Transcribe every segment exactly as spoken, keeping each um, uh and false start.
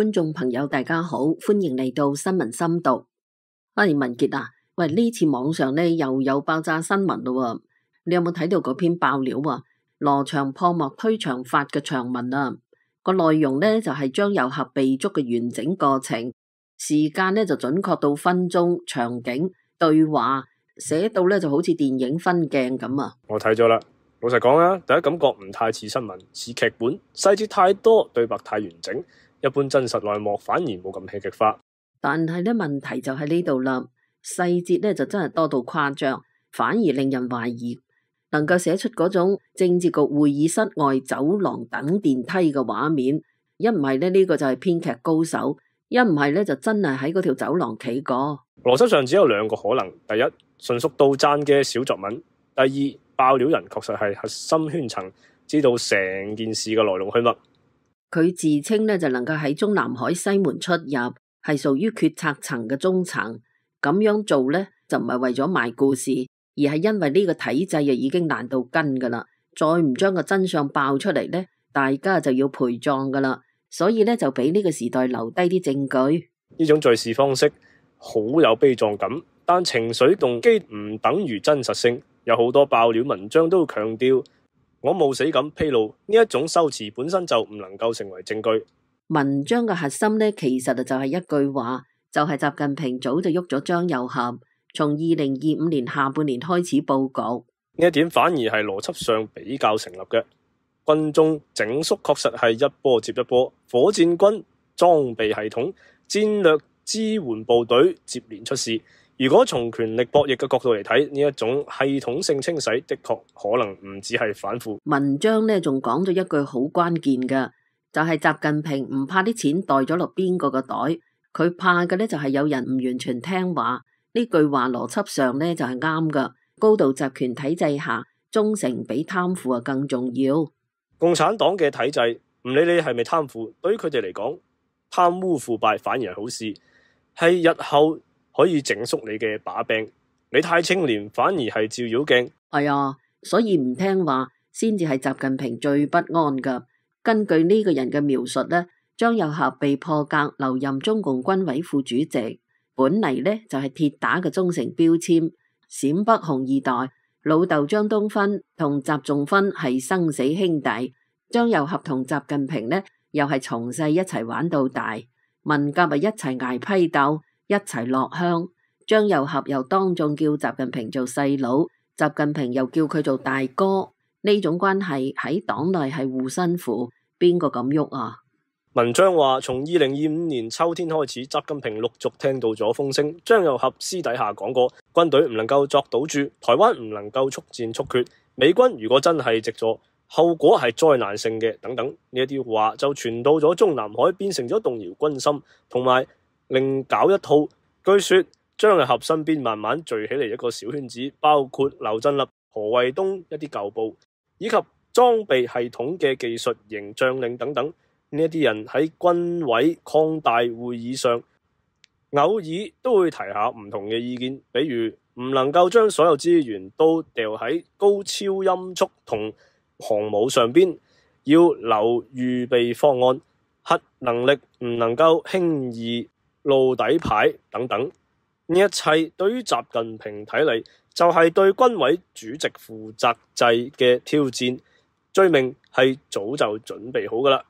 觀眾朋友大家好，歡迎嚟到新聞深讀。阿文傑啊，喂，呢次網上咧又有爆炸新聞咯，你有冇睇到嗰篇爆料啊？羅翔破幕推長髮嘅長文啊，個內容咧就係張又俠被捉嘅完整過程，時間咧就準確到分鐘、場景、對話，寫到咧就好似電影分鏡咁啊！我睇咗啦，老實講啊，第一感覺唔太似新聞，似劇本，細節太多，對白太完整，一般真實內幕反而冇咁戲劇化。但係咧問題就喺呢度啦，細節咧就真係多到誇張，反而令人懷疑能夠寫出嗰種政治局會議室外走廊等電梯嘅畫面，一唔係咧呢個就係編劇高手，一唔係咧就真係喺嗰條走廊企過。邏輯上只有兩個可能：第一，純屬杜撰嘅小作文；第二，爆料人確實係核心圈層，知道成件事嘅來龍去脈。佢自稱咧就能夠喺中南海西門出入，係屬於決策層嘅中層。咁樣做咧就唔係為咗賣故事，而係因為呢個體制啊已經爛到根噶啦，再唔將個真相爆出嚟咧，大家就要陪葬噶啦。所以咧就俾呢個時代留低啲證據。呢種敘事方式好有悲壯感，但情緒動機唔等於真實性。有好多爆料文章都強調我冒死咁披露，呢一種修辭本身就唔能夠成為證據。文章嘅核心呢，其實就係一句話，就係習近平早就喐咗張又俠，從二零二五年下半年開始佈局。呢一點反而係邏輯上比較成立嘅。軍中整肅確實係一波接一波，火箭軍裝備系統、戰略支援部隊接連出事。如果從權力博弈嘅角度嚟睇，呢一種系統性清洗的確可能唔只係反腐。文章呢仲講咗一句好關鍵嘅，就係習近平唔怕啲錢袋咗落邊個個袋，佢怕嘅呢就係有人唔完全聽話。呢句話邏輯上呢就係啱噶。高度集權體制下，忠誠比貪腐啊更重要。共產黨嘅體制唔理你係咪貪腐，對於佢哋嚟講，貪污腐敗反而係好事，係日後可以整肅你嘅把柄。你太清廉反而係照妖鏡。係啊，所以唔聽話先至係習近平最不安噶。根據呢個人嘅描述呢，張又俠被破格留任中共軍委副主席，本嚟呢就係鐵打嘅忠誠標籤。陝北紅二代老豆張東勳同習仲勳係生死兄弟，張又俠同習近平呢又係從細一齊玩到大，文革咪一齊挨批鬥，一齊落鄉。張又俠又當眾叫習近平做細佬，習近平又叫佢做大哥。呢種關係喺黨內係護身符，邊個敢喐啊？文章話，從二零二五年秋天開始，習近平陸續聽到咗風聲。張又俠私底下講過，軍隊唔能夠作賭注，台灣唔能夠速戰速決，美軍如果真係直坐，後果係災難性嘅，等等呢一啲話就傳到咗中南海，變成咗動搖軍心，同埋另搞一套。據說張又俠身邊慢慢聚起嚟一個小圈子，包括劉振立、何衛東一啲舊部，以及裝備系統嘅技術型將領等等。呢一啲人喺軍委擴大會議上，偶爾都會提下唔同嘅意見，比如唔能夠將所有資源都掉喺高超音速同航母上邊，要留預備方案，核能力唔能夠輕易露底牌等等。呢一切對於習近平睇嚟，就係對軍委主席負責制嘅挑戰，罪名係早就準備好噶啦。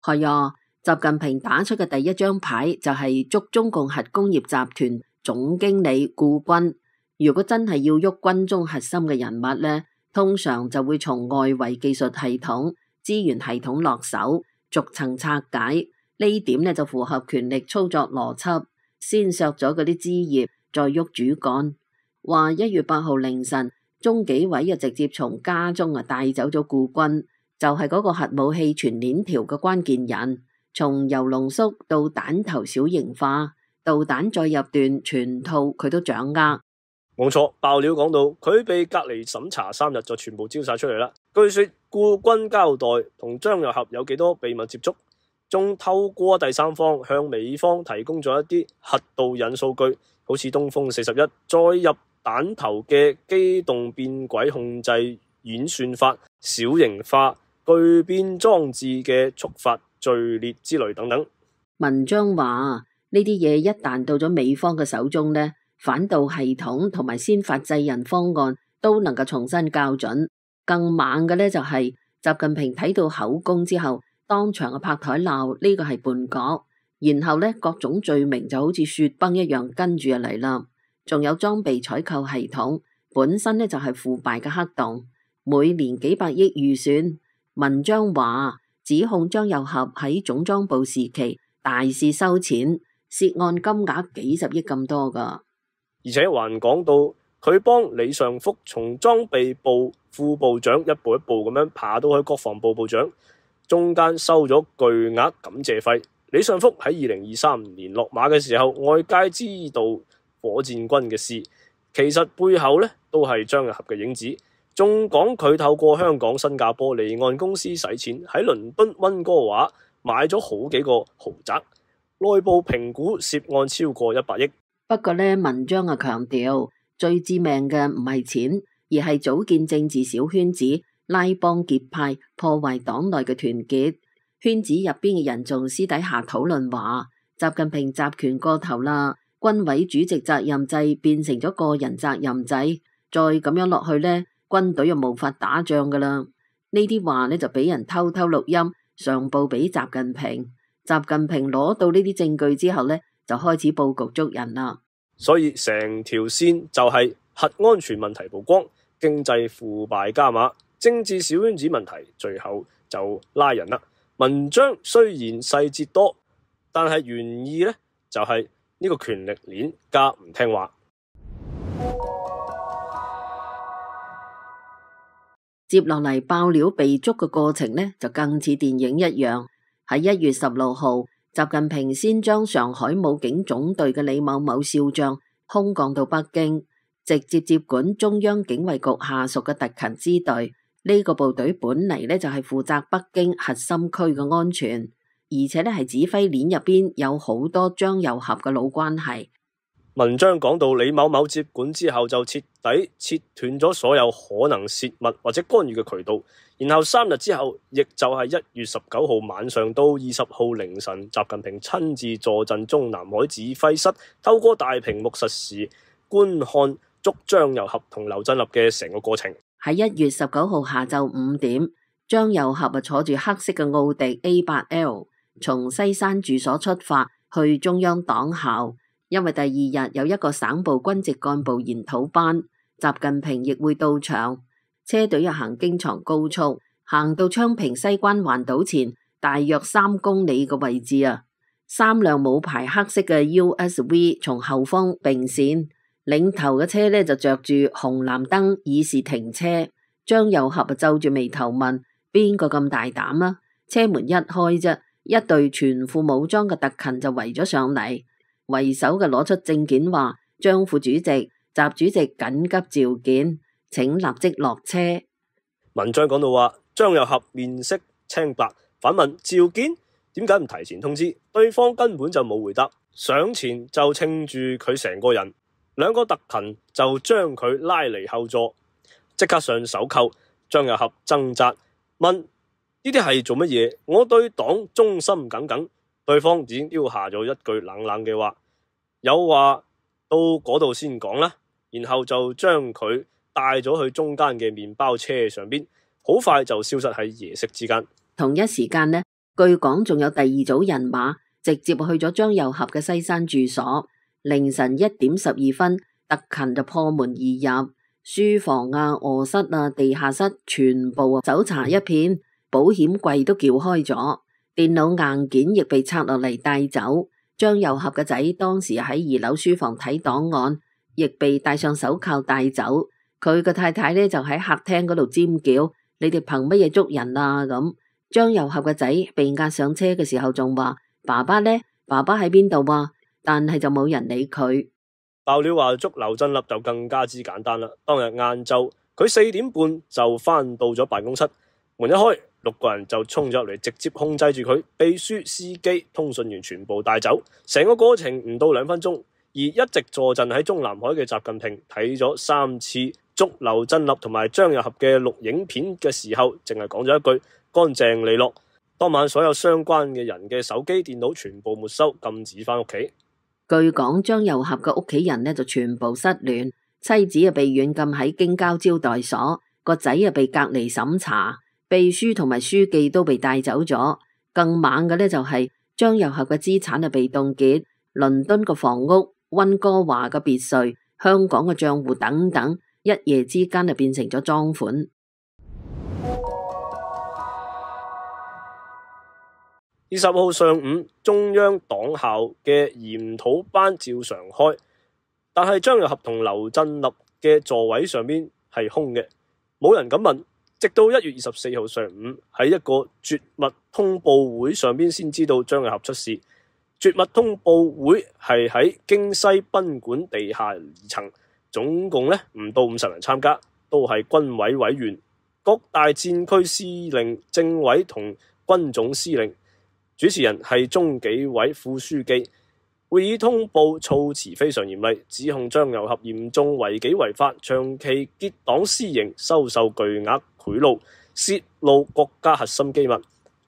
係啊，習近平打出嘅第一張牌就係捉中共核工業集團總經理顧軍。如果真係要喐軍中核心嘅人物呢，通常就會從外圍技術系統、資源系統落手，逐層拆解。呢點呢就符合權力操作邏輯，先削咗嗰啲枝葉，再喐主幹。話一月八號凌晨，中紀委啊直接從家中啊帶走咗顧軍，就係嗰個核武器全鏈條嘅關鍵人，從鈾濃縮到彈頭小型化，導彈再入段，全套佢都掌握。冇錯，爆料講到佢被隔離審查三日就全部招晒出嚟啦。據說顧軍交代同張又俠有幾多秘密接觸，仲透過第三方向美方提供咗一啲核導引數據，好似東風四十一再入彈頭嘅機動變軌控制演算法小型化，巨變裝置嘅觸發序列之類等等。文章話呢啲嘢一旦到咗美方嘅手中呢，反導系統同埋先發制人方案都能夠重新校準。更猛嘅呢，就係習近平睇到口供之後，當場嘅拍台鬧呢個係叛國，然後呢，各種罪名就好似雪崩一樣跟住入嚟啦。仲有裝備採購系統本身呢，就係腐敗嘅黑洞，每年幾百億預算。文章話指控張又俠喺總裝部時期大肆收錢，涉案金額幾十億咁多噶，而且還講到佢幫李尚福從裝備部副部長一步一步咁樣爬到去國防部部長，中間收咗巨額感謝費。李尚福喺二零二三年落馬嘅時候，外界知道火箭軍嘅事，其實背後呢都係張又俠嘅影子。仲講佢透過香港、新加坡離岸公司使錢喺倫敦溫哥華買咗好幾個豪宅，內部評估涉案超過一百億。不過呢，文章啊強調最致命嘅唔係錢，而係組建政治小圈子，拉幫結派，破壞黨內嘅團結。圈子入邊嘅人仲私底下討論話，習近平集權過頭啦，軍委主席責任制變成咗個人責任制，再咁樣落去呢，軍隊又無法打仗噶啦。呢啲話呢，就俾人偷偷錄音上報俾習近平。習近平攞到呢啲證據之後呢，就開始布局捉人啦。所以成條線就係核安全問題曝光，經濟腐敗加碼，政治小圈子問題，最後就拉人啦。文章雖然細節多，但係原意呢，就係呢個權力鏈加唔聽話。接落嚟爆料被捉嘅過程呢，就更似電影一樣。喺一月十六號，習近平先將上海武警總隊嘅李某某少將空降到北京，直接接管中央警衛局下屬嘅特勤支隊。呢個部隊本嚟呢，就係負責北京核心區嘅安全，而且呢係指揮鏈入邊有好多張又俠嘅老關係。文章講到李某某接管之後就徹底切斷咗所有可能泄密或者干預嘅渠道，然後三日之後，亦就係一月十九號晚上到二十號凌晨，習近平親自坐鎮中南海指揮室，透過大屏幕實時觀看捉張又俠同劉振立嘅成個過程。喺一月十九號下晝五點，張又俠啊坐住黑色嘅奧迪 A 八 L 從西山住所出發去中央黨校。因為第二日有一個省部軍籍幹部研討班，習近平亦會到場。車隊又行京藏高速，行到昌平西關環島前大約三公里嘅位置啊，三輛冇牌黑色嘅 U S V 從後方並線，領頭嘅車呢就着住紅藍燈以示停車。張又俠啊皺住眉頭問：邊個咁大膽啊？車門一開啫，一隊全副武裝嘅特勤就圍咗上嚟。為首嘅攞出證件話：張副主席、習主席緊急召見，請立即落車。文章講到話，張又俠面色青白，反問召見點解唔提前通知？對方根本就冇回答，上前就稱住佢成個人，兩個特勤就將佢拉離後座，即刻上手銬。張又俠掙扎問：呢啲係做乜嘢？我對黨忠心耿耿。對方只丟下咗一句冷冷嘅話，有話到嗰度先講啦，然後就將佢帶咗去中間嘅麵包車上邊，好快就消失喺夜色之間。同一時間呢，據講仲有第二組人馬直接去咗張又俠嘅西山住所。凌晨一點十二分，特勤就破門而入，書房啊、臥室啊、地下室全部搜查一片，保險櫃都撬開咗。電腦硬件亦被拆落嚟帶走。張又俠嘅仔當時喺二樓書房睇檔案，亦被戴上手銬帶走。佢嘅太太呢就喺客廳嗰度尖叫：你哋憑乜嘢捉人啊？咁張又俠嘅仔被押上車嘅時候仲話：爸爸呢？爸爸喺邊度啊？但係就冇人理佢。爆料話捉劉振立就更加之簡單啦。當日晏晝佢四點半就翻到咗辦公室，門一開，六個人就衝咗入嚟，直接控制住佢，秘書、司機、通訊員全部帶走。成個過程唔到兩分鐘，而一直坐鎮喺中南海嘅習近平睇咗三次捉劉振立同埋張又俠嘅錄影片嘅時候，淨係講咗一句：乾淨利落。當晚所有相關嘅人嘅手機、電腦全部沒收，禁止返屋企。據講，張又俠嘅屋企人呢就全部失聯，妻子啊被軟禁喺京郊招待所，個仔啊被隔離審查，秘書同埋書記都被帶走咗。更猛嘅呢就係張又俠嘅資產啊被凍結，倫敦嘅房屋、溫哥華嘅別墅、香港嘅賬戶等等，一夜之間啊變成咗贓款。二十號上午，中央黨校嘅研討班照常開，但係張又俠同劉振立嘅座位上邊係空嘅，冇人敢問。直到一月二十四號上午，喺一個絕密通報會上邊先知道張又俠出事。絕密通報會係喺京西賓館地下二層，總共咧唔到五十人參加，都係軍委委員、各大戰區司令、政委同軍總司令。主持人係中紀委副書記。會議通報措辭非常嚴厲，指控張又俠嚴重違紀違法，長期結黨私刑，收受巨額賄賂，泄露國家核心機密，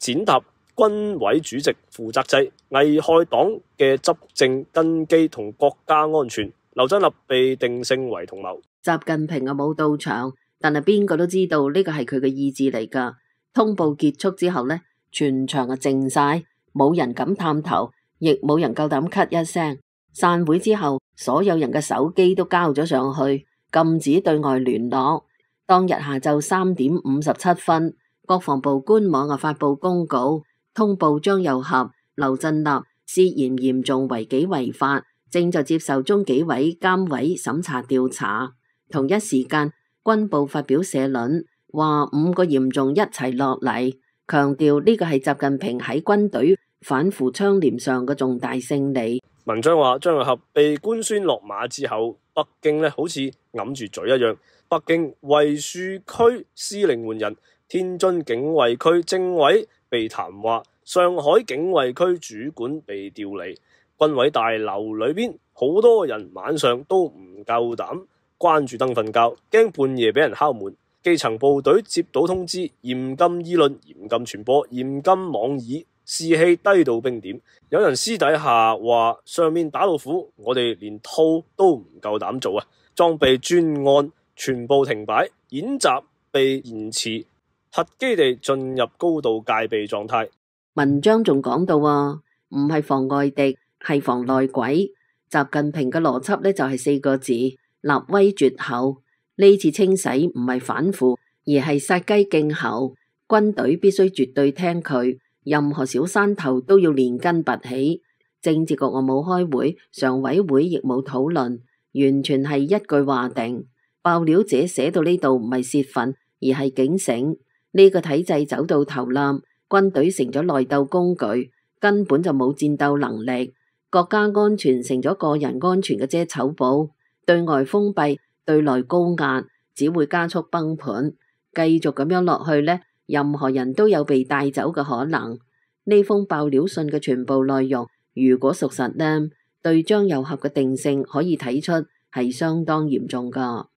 踐踏軍委主席負責制，危害黨嘅執政根基同國家安全。劉振立被定性為同謀。習近平啊冇到場，但係邊個都知道呢個係佢嘅意志嚟噶。通報結束之後呢，全場啊靜晒，冇人敢探頭，亦冇人夠膽咳一聲。散會之後，所有人嘅手機都交咗上去，禁止對外聯絡。當日下晝三點五十七分，國防部官網啊發佈公告，通報張又俠、劉振立涉嫌嚴重違紀違法，正在接受中紀委監委審查調查。同一時間，軍部發表社論，話五個嚴重一齊落嚟，強調呢個係習近平喺軍隊反腐倡廉上嘅重大勝利。文章話張又俠被官宣落馬之後，北京咧好似揞住嘴一樣。北京衛戍區司令換人，天津警衛區政委被談話，上海警衛區主管被調離。軍委大樓裏邊好多人晚上都唔夠膽關住燈瞓覺，驚半夜俾人敲門。基層部隊接到通知，嚴禁議論、嚴禁傳播、嚴禁網議，士氣低到冰點。有人私底下話上面打老虎，我哋連套都唔夠膽做啊！裝備專案全部停擺，演習被延遲，核基地進入高度戒備狀態。文章仲講到啊，唔係防外敵，係防內鬼。習近平嘅邏輯呢，就係四個字：立威絕後。呢次清洗唔係反腐，而係殺雞儆猴。軍隊必須絕對聽佢，任何小山頭都要連根拔起。政治局我冇開會，常委會亦冇討論，完全係一句話定。爆料者寫到呢度唔係泄憤，而係警醒。呢個體制走到頭啦，軍隊成咗內鬥工具，根本就冇戰鬥能力。國家安全成咗個人安全嘅遮醜布，對外封閉，對內高壓，只會加速崩盤。繼續咁樣落去呢，任何人都有被帶走嘅可能。呢封爆料信嘅全部內容，如果屬實呢，對張又俠嘅定性可以睇出係相當嚴重噶。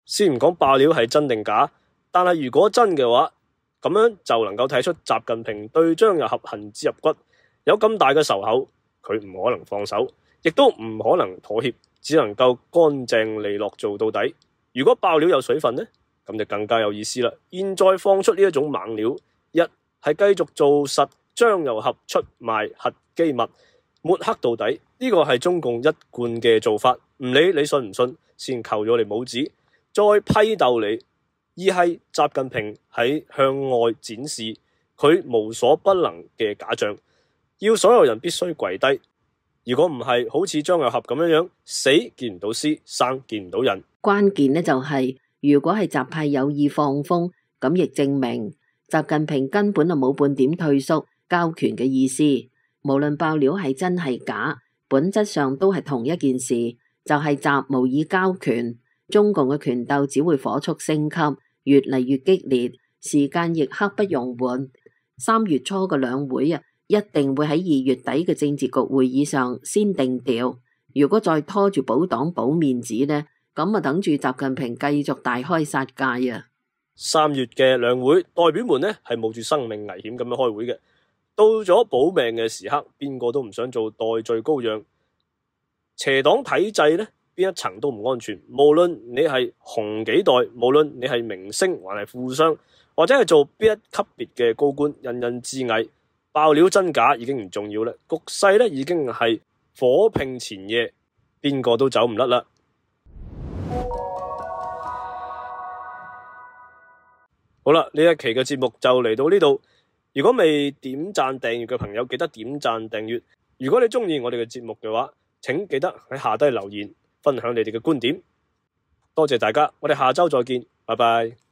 先唔講爆料係真定假，但係如果真嘅話，咁樣就能夠睇出習近平對張又俠恨之入骨，有咁大嘅仇口，佢唔可能放手，亦都唔可能妥協，只能夠乾淨利落做到底。如果爆料有水分呢，咁就更加有意思啦。現在放出呢一種猛料，一係繼續做實張又俠出賣核機密，抹黑到底，呢個係中共一貫嘅做法，唔理你信唔信，先扣咗你帽子，再批鬥你。二係習近平喺向外展示佢無所不能嘅假象，要所有人必須跪低。如果唔係，好似張又俠咁樣樣，死見唔到屍，生見唔到人。關鍵呢就係、是，如果係習派有意放風，咁亦證明習近平根本就冇半點退縮交權嘅意思。無論爆料係真係假，本質上都係同一件事，就係、是、習無意交權。中共嘅權鬥只會火速升級，越嚟越激烈，時間亦刻不容緩。三月初嘅兩會啊，一定會喺二月底嘅政治局會議上先定調。如果再拖住保黨保面子呢，咁啊等住習近平繼續大開殺戒啊！三月嘅兩會，代表們呢係冒住生命危險咁樣開會嘅。到咗保命嘅時刻，邊個都唔想做代罪羔羊。邪黨體制呢，邊一層都唔安全。無論你係紅幾代，無論你係明星還係富商，或者係做邊一級別嘅高官，人人自危。爆料真假已經唔重要啦，局勢呢已經係火拼前夜，邊個都走唔甩啦。好啦，呢一期嘅節目就嚟到呢度。如果未點讚訂閱嘅朋友，記得點讚訂閱。如果你中意我哋嘅節目嘅話，請記得喺下低留言，分享你哋嘅觀點。多謝大家，我哋下周再見，拜拜。